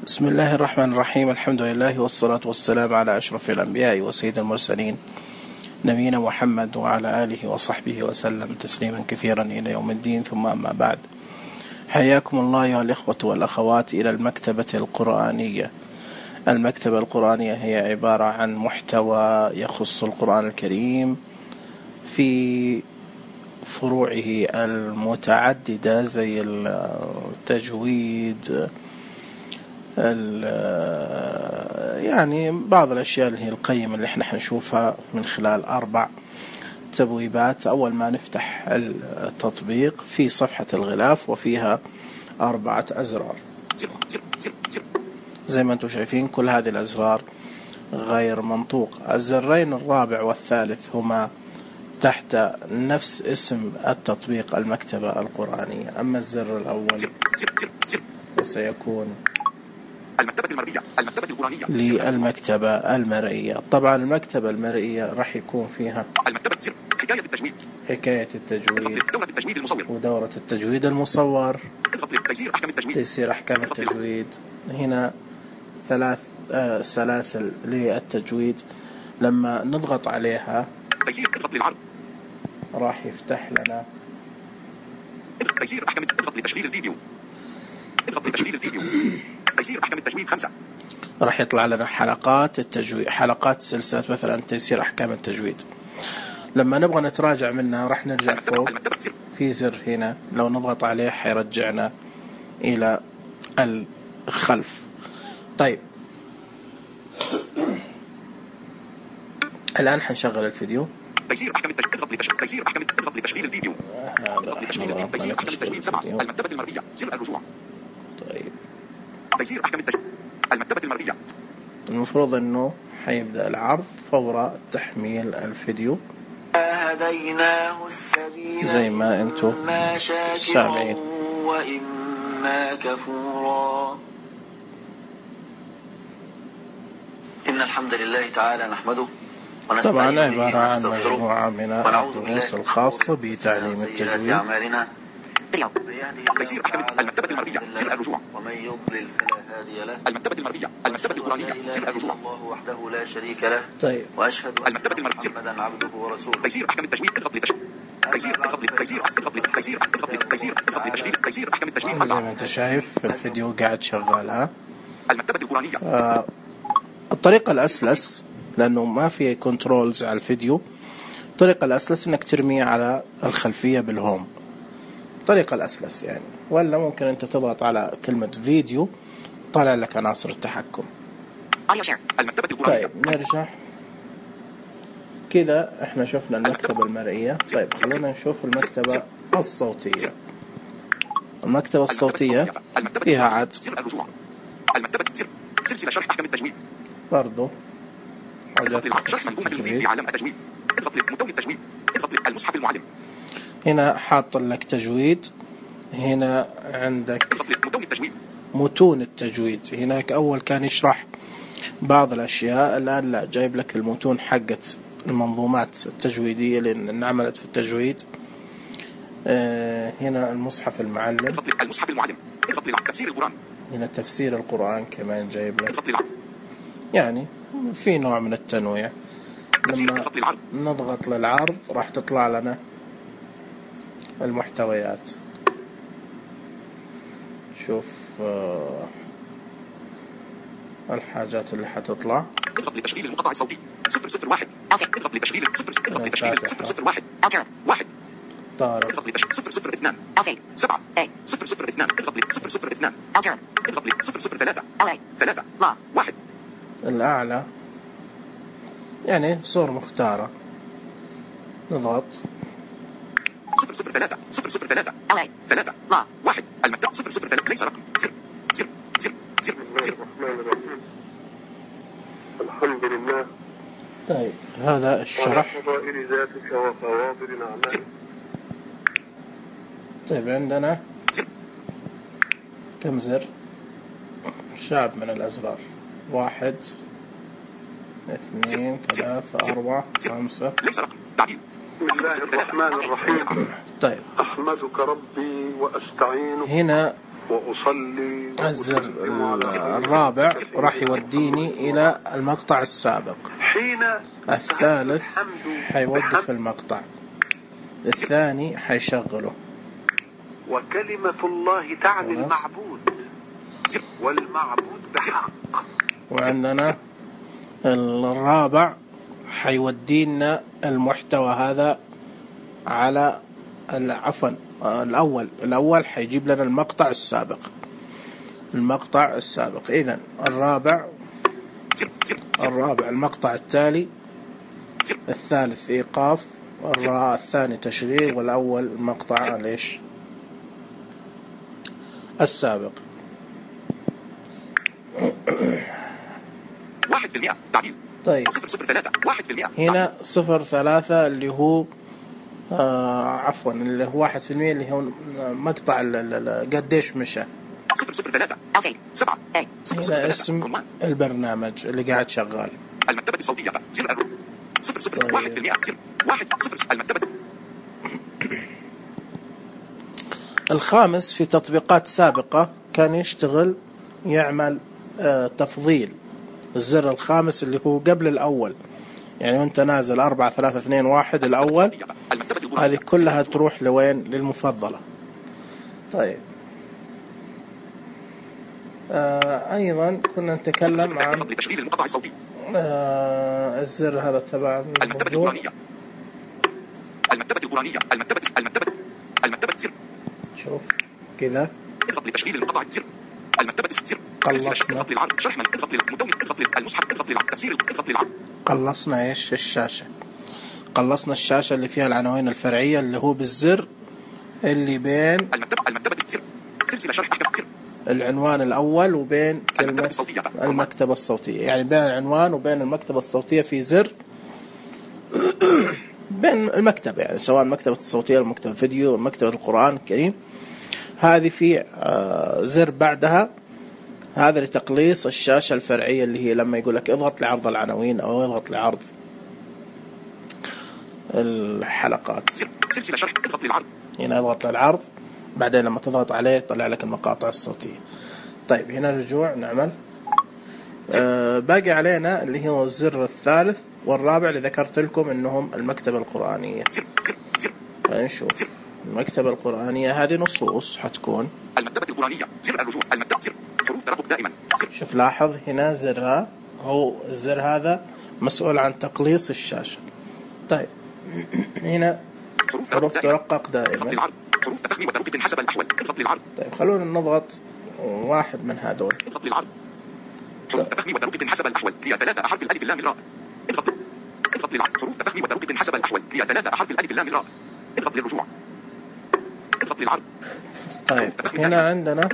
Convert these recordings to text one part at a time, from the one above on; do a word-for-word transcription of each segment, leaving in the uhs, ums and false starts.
بسم الله الرحمن الرحيم. الحمد لله والصلاة والسلام على أشرف الأنبياء وسيد المرسلين نبينا محمد وعلى آله وصحبه وسلم تسليما كثيرا إلى يوم الدين. ثم أما بعد، حياكم الله يا الإخوة والأخوات إلى المكتبة القرآنية. المكتبة القرآنية هي عبارة عن محتوى يخص القرآن الكريم في فروعه المتعددة زي التجويد، يعني بعض الأشياء اللي هي القيمة اللي احنا حنشوفها من خلال أربع تبويبات. أول ما نفتح التطبيق في صفحة الغلاف وفيها أربعة أزرار زي ما انتم شايفين. كل هذه الأزرار غير منطوق. الزرين الرابع والثالث هما تحت نفس اسم التطبيق المكتبة القرآنية. أما الزر الأول سيكون المكتبة المرئية المكتبة القرآنية للمكتبة المرئية. طبعا المكتبة المرئية راح يكون فيها المكتبة سر حكاية التجويد حكاية التجويد دورة التجويد المصور ودورة التجويد المصور تيسير أحكام التجويد تيسير أحكام التجويد. هنا ثلاث آه سلاسل للتجويد. لما نضغط عليها تيسير اضغط للعرض راح يفتح لنا تيسير أحكام اضغط لتشغيل الفيديو اضغط لتشغيل الفيديو تيسير أحكام التجويد خمسة. راح يطلع لنا حلقات التجويد، حلقات سلسلة مثلا تيسير أحكام التجويد. لما نبغى نتراجع منها راح نرجع فوق في زر هنا، لو نضغط عليه حيرجعنا إلى الخلف. طيب الآن حنشغل الفيديو. تيسير أحكام التجويد اضغط لتشغيل تيسير أحكام اضغط لتشغيل الفيديو اضغط لتشغيل الفيديو تيسير أحكام التجويد سبعة. المكتبة المرئية سر الرجوع. طيب تيسير أحكام التجويد المكتبة المرئية. المفروض أنه حيبدأ العرض فور تحميل الفيديو هديناه السبيل زي ما أنتم سامعين. وإما كفورا. إن الحمد لله تعالى نحمده طبعا عبارة عن مجموعة من الدروس الخاصة بتعليم التجويد. تيسير أحكام المكتبة المرئية سر الرجوع. ومن يضلل فلا هادي له. المكتبة المرئية المكتبة القرآنية سر الرجوع. الله وحده لا شريك له. طيب وأشهد أن المكتبة المرئية محمدا عبده ورسوله. تيسير أحكام التجويد اضغط لتشغيل تيسير اضغط لتيسير اضغط لتيسير اضغط لتيسير اضغط لتشغيل تيسير أحكام التجويد زي ما انت شايف في الفيديو قاعد شغالها. المكتبة القرآنية. آه الطريقة الأسلس لأنه ما في كنترولز على الفيديو، الطريقة الأسلس إنك ترميه على الخلفية بالهوم، الطريقة الأسلس يعني. ولا ممكن أنت تضغط على كلمة فيديو طالع لك عناصر التحكم. المكتبة القرآنية. طيب نرجع كذا. احنا شفنا المكتبة المرئية. طيب خلونا نشوف المكتبة الصوتية. المكتبة الصوتية فيها عد المكتبة سلسلة شرح أحكام التجويد برضو حاجات شرح منظومة في عالم التجويد. اضغط لمتون التجويد اضغط المصحف المعلم. هنا حاط لك تجويد. هنا عندك اضغط لمتون التجويد متون التجويد. هناك أول كان يشرح بعض الأشياء، الآن لا، جايب لك المتون حقت المنظومات التجويدية اللي انعملت في التجويد. آه هنا المصحف المعلم. اضغط المصحف المعلم اضغط لتفسير القرآن. هنا تفسير القرآن كمان جايب لك. اضغط للعرض. يعني في نوع من التنويع. لما نضغط للعرض راح تطلع لنا المحتويات. شوف آه الحاجات اللي حتطلع. اضغط لتشغيل المقطع الصوتي صفر صفر واحد. اضغط لتشغيل صفر اضغط لتشغيل صفر صفر واحد واحد. طارق. اضغط لتشغيل صفر صفر اثنان سبعة صفر صفر اثنان. اضغط لصفر صفر اثنان. اضغط لصفر صفر ثلاثة ثلاثة واحد. الأعلى يعني صور مختارة. نضغط صفر صفر ثلاثة صفر صفر ثلاثة ثلاثة واحد. المكتب صفر صفر ثلاثة ليس رقم. سر سر سر سر سر. الحمد لله. طيب هذا الشرح. فضائل ذاتك وفواضل أعمالك. طيب عندنا كم زر؟ شعب من الأزرار. واحد اثنين ثلاثة أربعة خمسة. ليس رقم. تعديل. بسم الله الرحمن الرحيم. طيب أحمدك ربي وأستعينك. هنا وأصلي الزر وأسلم على الرابع راح يوديني إلى المقطع السابق. حين الثالث حيوقف المقطع، الثاني حيشغله. وكلمة الله تعني المعبود والمعبود بحق. وعندنا الرابع حيودينا المحتوى هذا على عفوا الأول الأول حيجيب لنا المقطع السابق المقطع السابق إذن الرابع الرابع المقطع التالي، الثالث إيقاف، الثاني تشغيل، والأول المقطع ليش السابق. واحد في المئة تعديل. طيب صفر صفر ثلاثة واحد في المئة هنا صفر ثلاثة اللي هو آه عفوا اللي هو واحد في المئة اللي هو مقطع قديش مشى. صفر صفر ثلاثة سبعة هنا اسم البرنامج اللي قاعد شغال. المكتبة الصوتية زر صفر صفر واحد في المئة زر واحد صفر المكتبة. الخامس في تطبيقات سابقة كان يشتغل يعمل آه تفضيل. الزر الخامس اللي هو قبل الأول، يعني وانت نازل أربعة ثلاثة اثنين واحد الأول، هذه كلها تروح لوين؟ للمفضلة. طيب آه أيضا كنا نتكلم عن آه الزر هذا تبع المكتبة القرآنية. المكتبة القرآنية المكتبة المكتبة المكتبة زر. شوف كذا اضغط لتشغيل المقطع زر. المكتبة زر. قلصنا اضغط للعرض شرح من اضغط للمدون اضغط للمصحف اضغط للعرض تفسير اضغط للعرض. قلصنا ايش الشاشة؟ قلصنا الشاشة اللي فيها العناوين الفرعية اللي هو بالزر اللي بين المكتبة المكتبة زر. سلسلة شرح زر. العنوان الأول وبين كلمة المكتبة الصوتية، يعني بين العنوان وبين المكتبة الصوتية في زر بين المكتبة، يعني سواء المكتبة الصوتية المكتبة الفيديو مكتبة القرآن الكريم، هذه في زر بعدها هذا لتقليص الشاشة الفرعية اللي هي لما يقول لك اضغط لعرض العناوين أو اضغط لعرض الحلقات. سلسلة شرح اضغط للعرض. هنا اضغط للعرض، بعدين لما تضغط عليه يطلع لك المقاطع الصوتية. طيب هنا رجوع نعمل آه باقي علينا اللي هو الزر الثالث والرابع اللي ذكرت لكم انهم المكتبة القرآنية. نشوف المكتبة القرآنية هذه نصوص حتكون المكتبة القرآنية زر الرجوع المكتبة زر حروف ترقب دائما. شوف لاحظ هنا زرها هو الزر هذا مسؤول عن تقليص الشاشة. طيب هنا حروف ترقق دائما. حروف تفخيم وترقيق حسب الأحوال اضغط للعرض. طيب خلونا نضغط واحد من هذول. اضغط للعرض. حروف تفخيم وترقيق حسب الأحوال هي ثلاثة أحرف الألف اللام الراء. اضغط اضغط للعرض. حروف تفخيم وترقيق حسب الأحوال هي ثلاثة أحرف الألف اللام الراء. اضغط للرجوع. اضغط للعرض. طيب هنا عندنا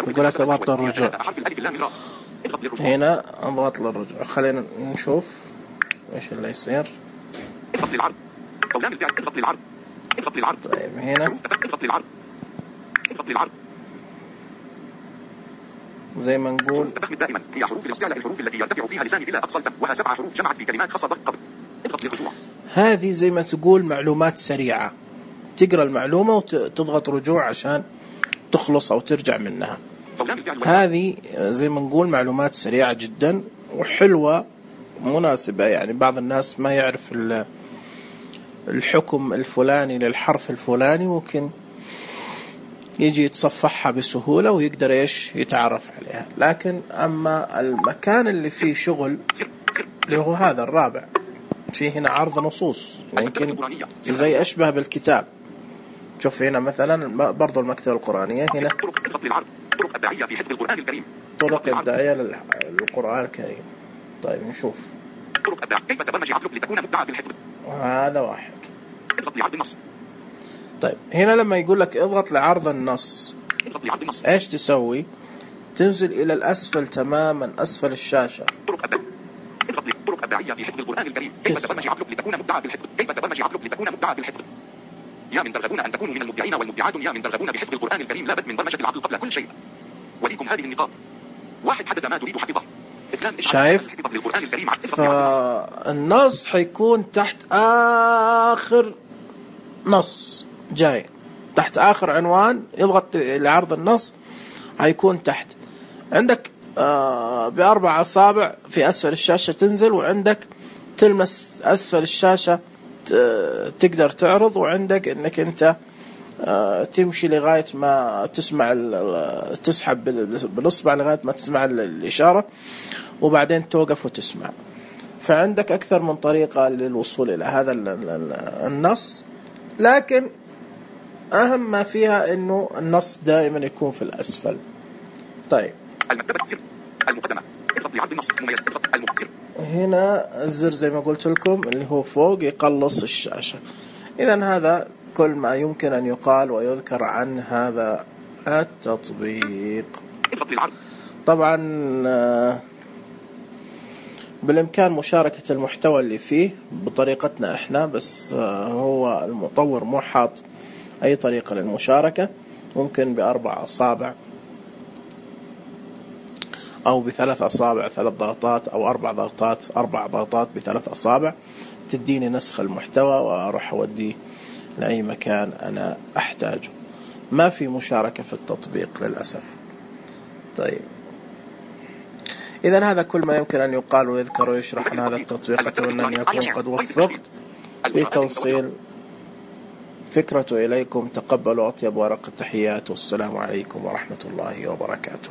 يقول لك اضغط للرجوع. هنا اضغط للرجوع. خلينا نشوف ايش اللي يصير. اضغط للعرض. قولان الفعل اضغط للعرض. اضغط للعرض. طيب هنا اضغط للعرض. اضغط للعرض. زي ما نقول التفخيم دائما هي حروف الاستعلاء الحروف التي يرتفع فيها لساني إلى أقصى الفم وها سبع حروف جمعت في كلمات خاصة ضغط قبل. اضغط للرجوع. هذه زي ما تقول معلومات سريعة، تقرأ المعلومة وتضغط رجوع عشان تخلص أو ترجع منها. هذه زي ما نقول معلومات سريعة جدا وحلوة مناسبة، يعني بعض الناس ما يعرف الحكم الفلاني للحرف الفلاني ممكن يجي يتصفحها بسهولة ويقدر إيش يتعرف عليها. لكن أما المكان اللي فيه شغل اللي هو هذا الرابع، فيه هنا عرض نصوص يمكن زي أشبه بالكتاب. شوف هنا مثلا برضو المكتبة القرآنية هنا طرق إبداعية في حفظ القرآن الكريم. طرق إبداعية للقرآن الكريم. طيب نشوف طرق إبداع كيف تبرمج عقلك لتكون مبدعا في الحفظ. هذا واحد. اضغط لعرض النص. طيب هنا لما يقول لك اضغط لعرض النص اضغط لعرض النص ايش تسوي؟ تنزل إلى الأسفل تماما أسفل الشاشة. طرق إبداع اضغط لطرق إبداعية في حفظ القرآن الكريم. كيف تبرمج عقلك لتكون مبدعا في الحفظ. كيف تبرمج عقلك لتكون مبدعا في الحفظ. يا من ترغبون أن تكونوا من المبدعين والمبدعات، يا من ترغبون بحفظ القرآن الكريم لابد من برمجة العقل قبل كل شيء. وليكم هذه النقاط. واحد حدد ما تريد حفظه. شايف؟ فالنص حيكون تحت آخر نص جاي تحت آخر عنوان يضغط لعرض النص هيكون تحت. عندك آه بأربع أصابع في أسفل الشاشة تنزل، وعندك تلمس أسفل الشاشة تقدر تعرض، وعندك إنك أنت آه تمشي لغاية ما تسمع تسحب بالإصبع لغاية ما تسمع الإشارة، وبعدين توقف وتسمع. فعندك أكثر من طريقة للوصول إلى هذا النص، لكن أهم ما فيها إنه النص دائما يكون في الأسفل. طيب المكتبة سر المقدمة اضغط لعرض النص مميز اضغط المؤثر. هنا الزر زي ما قلت لكم اللي هو فوق يقلص الشاشة. إذن هذا كل ما يمكن أن يقال ويذكر عن هذا التطبيق. اضغط للعرض. طبعا بالإمكان مشاركة المحتوى اللي فيه بطريقتنا إحنا، بس هو المطور مو حاط أي طريقة للمشاركة. ممكن بأربع أصابع أو بثلاث أصابع ثلاث ضغطات، أو أربع ضغطات أربع ضغطات بثلاث أصابع تديني نسخ المحتوى وأروح أوديه لأي مكان أنا أحتاجه. ما في مشاركة في التطبيق للأسف. طيب إذن هذا كل ما يمكن أن يقال ويذكر ويشرح عن هذا التطبيق. أتمنى أن يكون قد وفقت في توصيل فكرته إليكم. تقبلوا أطيب ورق التحيات، والسلام عليكم ورحمة الله وبركاته.